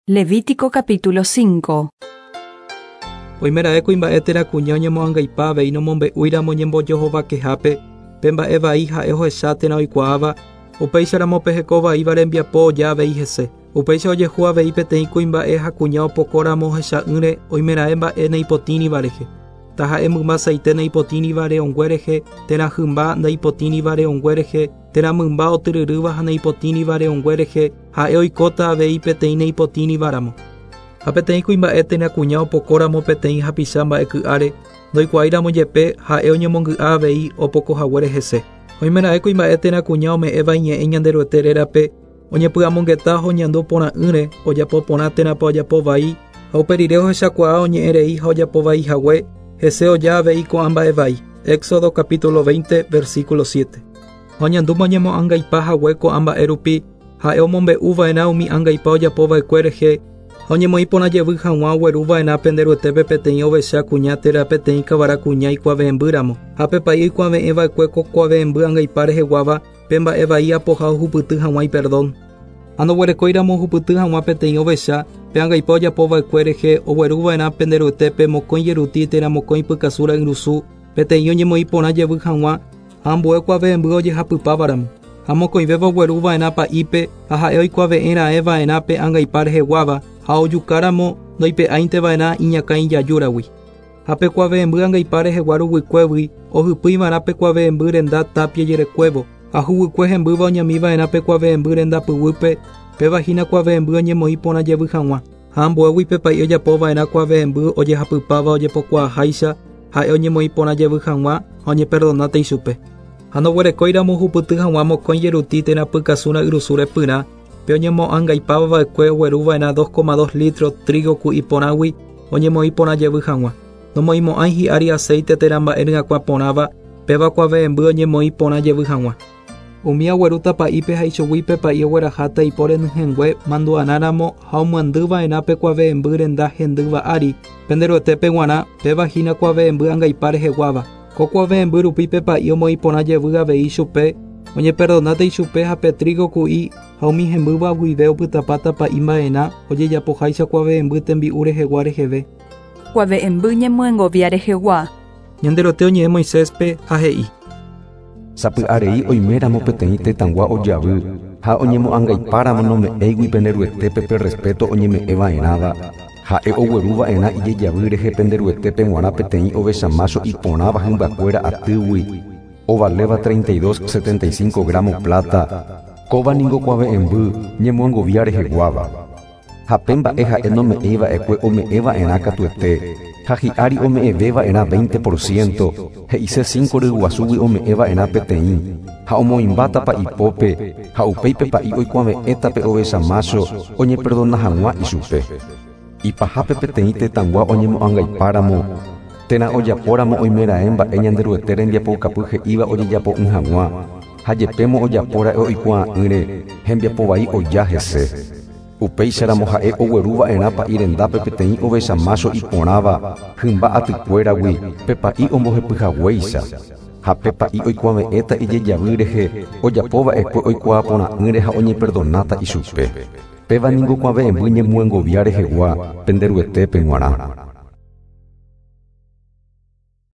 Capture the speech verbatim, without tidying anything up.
Levítico capítulo cinco. Oimeraẽ kuimba'e térã kuña oñemoangaipa avei nomombe'úiramo ñembojohovakehápe pe mba'e vai ha'e ohecha térã oikuaáva upéicharamo pe hekovaíva rembiapo oja avei hese. Upéicha ojehu avei peteĩ kuimba'e ha kuña opokóramo ohecha'ỹre oimeraẽ mba'e neipotĩriva rehe. Taha'e mymba saite neipotĩriva re'õngue rehe térã hymba ndaipotĩriva re'õngue rehe térã mymba otyryrýva ha neipotĩriva re'õngue rehe ha'e oikóta avei peteĩ neipotĩrivaramo. Ha peteĩ kuimba'e térã kuña opokóramo peteĩ hapicha mba'eky'áre ndoikuaáiramo jepe ha'e oñemongy'a avei opokohaguére hese. Oimeraẽ kuimba'e térã kuña ome'ẽva iñe'ẽ Ñanderuete rérape oñepy'amongeta ha oñandu porã'ỹre ojapo porã térãpa ojapo vai ha uperire ohechakuaa oñe'ẽrei ha ojapo vai hague hese oja avei ko'ã mba'e vai. Éxodo capítulo veinte, versículo siete. Ha oñandúma oñemoangaipa hague ko'ã mba'e rupi ha'e omombe'uva'erã umi angaipa ojapova'ekue rehe ha oñemoĩ porã jevy hag̃ua ogueruva'erã penderuetépe peteĩ ovecha kuña térã peteĩ kavara kuña ikuave'ẽmbýramo ha pe pa'i oikuave'ẽva'ekue ko kuave'ẽmby angaipa reheguáva pe mba'e vai apoha ohupyty hag̃ua iperdón. Ha ndoguerekóiramo ohupyty hag̃ua peteĩ ovecha pe angaipa ojapova'ekue rehe ogueruva'erã penderuetépe mokõi jeruti térã mokõi pykasu ra'yrusu peteĩ oñemoĩ porã jevy hag̃ua ha ambue kuave'ẽmby ojehapypávaramo. Ha mokõivéva ogueruva'erã pa'ípe ha ha'e oikuave'ẽra'ẽva'erã pe angaipa reheguáva ha ojukáramo ndoipe'áinteva'erã iñakã ijajúragui. Ha pe kuave'ẽmby angaipa rehegua ruguykuégui ohypýiva'erã pe kuave'ẽmby renda tapia jerekuévo ha huguykue hembýva oñamiva'erã pe kuave'ẽmby renda pyguýpe péva hína kuave'ẽmby oñemoĩ porã jevy hag̃ua. Ha ambuégui pe pa'i ojapova'erã kuave'ẽmby ojehapypáva ojepokuaaháicha ha'e oñemoĩ porã jevy hag̃ua ha oñeperdonáta ichupe. Ha ndoguerekóiramo ohupyty hag̃ua mokõi jeruti térã pykasu ra'yrusu repyrã pe oñemoangaipava'ekue ogueruva'erã dos coma dos litro trigo ku'i porãgui oñemoĩ porã jevy hag̃ua. Nomoĩmo'ãi hi'ári aceite térã mba'e ryakuã porãva péva kuave'ẽmby oñemoĩ porã jevy hag̃ua. Umi aguerúta pa'ípe ha ichugui pe pa'i ogueraháta ipo renyhẽngue mandu'arãramo ha omyandýva'erã pe kuave'ẽmby renda hendýva ári penderuetépe g̃uarã péva hína kuave'ẽmby angaipa reheguáva. Ko kuave'ẽmby rupi pe pa'i omoĩ porã jevy avei ichupe oñeperdonáta ichupe ha pe trigo ku'i ha umi hembýva guive opytapáta pa'i mba'erã ojejapoháicha kuave'ẽmby tembi'u rehegua reheve. Kuave'ẽmby ñemyengovia rehegua. Ñanderuete oñe'ẽ Moiséspe ha he'i. Sapy'arei oiméramo peteĩ tetãgua ojavy ha oñemoangaipáramo nome'ẽigui penderuetépe pe respeto oñeme'ẽva'erãva ha'e ogueruva'erã ijejavy rehe penderuetépe g̃uarã peteĩ ovecha mácho iporãva hymbakuéra atýgui ovaléva treinta y dos setenta y cinco gramo plata kóva ningo kuave'ẽmby ñemoangovia reheguáva. Ha pe mba'e ha'e nome'ẽiva'ekue ome'ẽva'erã katuete ha hi'ári ome'ẽveva'erã veinte por ciento he'ise cinco ryguasúgui ome'ẽva'erã peteĩ ha omoĩmbátapa ipópe ha upéi pe pa'i oikuave'ẽta pe ovecha mácho oñeperdona hag̃ua ichupe. Ipahápe peteĩ tetãgua oñemoangaipáramo térã ojapóramo oimeraẽ mba'e Ñanderuete rembiapoukapy he'íva ojejapo'ỹ hag̃ua ha jepémo ojapóra'e oikuaa'ỹre hembiapo vai oja hese. Upéicharamo ha'e ogueruva'erã pa'i rendápe peteĩ ovecha mácho iporãva hymba atykuéragui pe pa'i ombohepyhaguéicha. Ha pe pa'i oikuave'ẽta ijejavy rehe ojapova'ekue oikuaa porã'ỹre ha oñeperdonáta ichupe. Péva ningo kuave'ẽmby ñemyengovia rehegua penderuetépe g̃uarã.